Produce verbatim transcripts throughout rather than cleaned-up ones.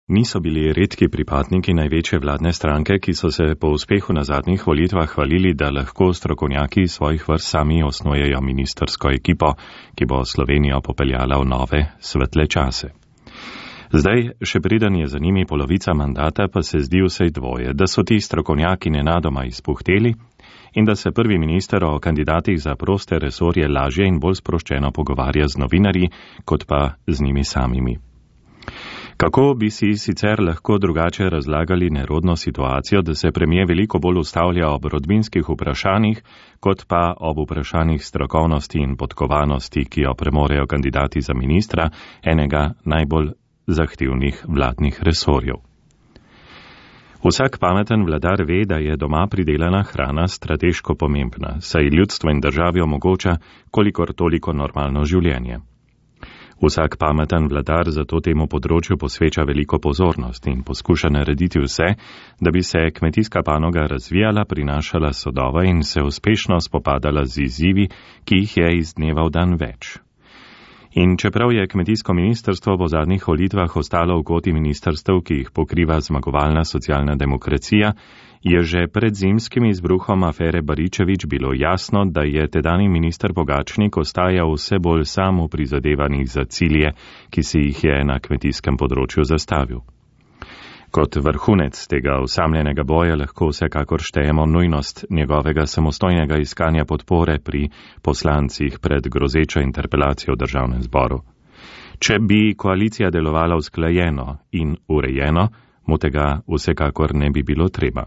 Niso bili redki pripadniki največje vladne stranke, ki so se po uspehu na zadnjih volitvah hvalili, da lahko strokovnjaki svojih vrst sami osnujejo ministersko ekipo, ki bo Slovenijo popeljala v nove, svetle čase. Zdaj, še preden je za njimi polovica mandata, pa se zdi vsej dvoje, da so ti strokovnjaki nenadoma izpuhteli in da se prvi minister o kandidatih za proste resorje lažje in bolj sproščeno pogovarja z novinarji, kot pa z njimi samimi. Kako bi si sicer lahko drugače razlagali nerodno situacijo, da se premijer veliko bolj ustavlja ob rodbinskih vprašanjih, kot pa ob vprašanjih strokovnosti in podkovanosti, ki jo premorejo kandidati za ministra enega najbolj zahtevnih vladnih resorjev. Vsak pameten vladar ve, da je doma pridelana hrana strateško pomembna, saj ljudstvo in državi omogoča kolikor toliko normalno življenje. Vsak pameten vladar zato temu področju posveča veliko pozornosti in poskuša narediti vse, da bi se kmetijska panoga razvijala, prinašala sodove in se uspešno spopadala z izzivi, ki jih je iz dneva v dan več. In čeprav je kmetijsko ministrstvo po zadnjih volitvah ostalo v koti ministrstev, ki jih pokriva zmagovalna socialna demokracija, je že pred zimskim izbruhom afere Baričevič bilo jasno, da je tedajni minister Pogačnik ostajal vse bolj sam v prizadevanjih za cilje, ki si jih je na kmetijskem področju zastavil. Kot vrhunec tega osamljenega boja lahko vsekakor štejemo nujnost njegovega samostojnega iskanja podpore pri poslancih pred grozečo interpelacijo v državnem zboru. Če bi koalicija delovala usklajeno in urejeno, mu tega vsekakor ne bi bilo treba.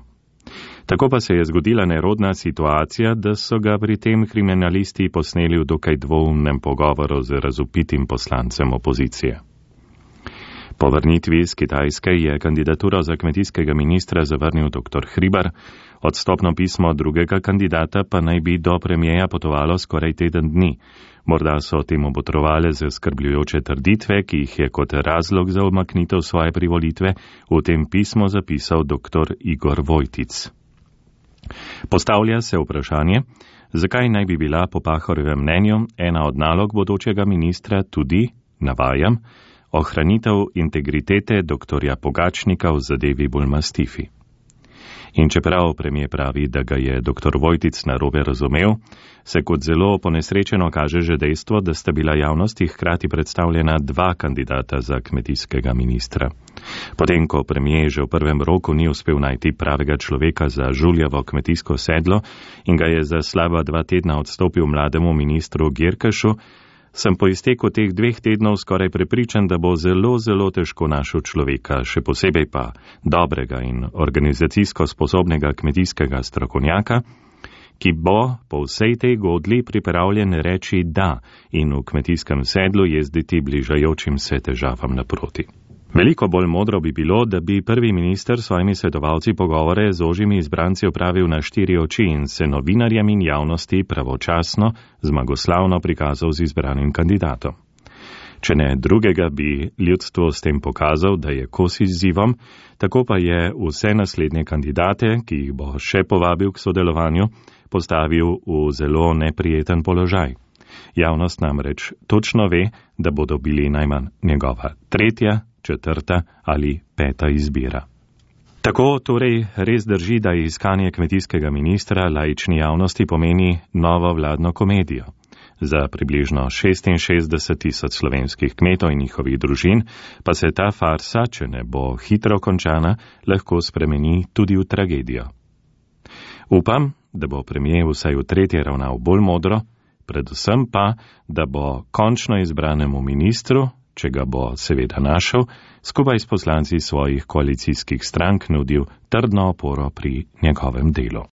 Tako pa se je zgodila nerodna situacija, da so ga pri tem kriminalisti posneli v dokaj dvoumnem pogovoru z razupitim poslancem opozicije. Po vrnitvi iz Kitajske je kandidaturo za kmetijskega ministra zavrnil dr. Hribar, odstopno pismo drugega kandidata pa naj bi do premijeja potovalo skoraj teden dni. Morda so temu botrovale zaskrbljujoče trditve, ki jih je kot razlog za umaknitev svoje privolitve v tem pismu zapisal dr. Igor Vojtic. Postavlja se vprašanje, zakaj naj bi bila po Pahorjevem mnenju ena od nalog bodočega ministra tudi, navajam, ohranitev integritete doktorja Pogačnika v zadevi Bulmastifi. In čeprav premijer pravi, da ga je dr. Vojtic narobe razumel, se kot zelo ponesrečeno kaže že dejstvo, da sta bila javnosti hkrati predstavljena dva kandidata za kmetijskega ministra. Potem, ko premijer že v prvem roku ni uspel najti pravega človeka za Žuljevo kmetijsko sedlo in ga je za slaba dva tedna odstopil mlademu ministru Girkešu, sem po izteku teh dveh tednov skoraj prepričan, da bo zelo, zelo težko našel človeka, še posebej pa dobrega in organizacijsko sposobnega kmetijskega strokovnjaka, ki bo po vsej tej godli pripravljen reči da in v kmetijskem sedlu jezditi bližajočim se težavam naproti. Veliko bolj modro bi bilo, da bi prvi minister s svojimi svetovalci pogovore z ožjimi izbranci opravil na štiri oči in se novinarjem in javnosti pravočasno, zmagoslavno prikazal z izbranim kandidatom. Če ne drugega, bi ljudstvo s tem pokazal, da je kos izzivom, tako pa je vse naslednje kandidate, ki jih bo še povabil k sodelovanju, postavil v zelo neprijeten položaj. Javnost namreč točno ve, da bodo bili najmanj njegova tretja, četrta ali peta izbira. Tako torej res drži, da iskanje kmetijskega ministra laični javnosti pomeni novo vladno komedijo. Za približno šestinšestdeset tisoč slovenskih kmetov in njihovih družin pa se ta farsa, če ne bo hitro končana, lahko spremeni tudi v tragedijo. Upam, da bo premijer vsaj v tretje ravnal bolj modro, predvsem pa, da bo končno izbranemu ministru, če ga bo seveda našel, skupaj s poslanci svojih koalicijskih strank nudil trdno oporo pri njegovem delu.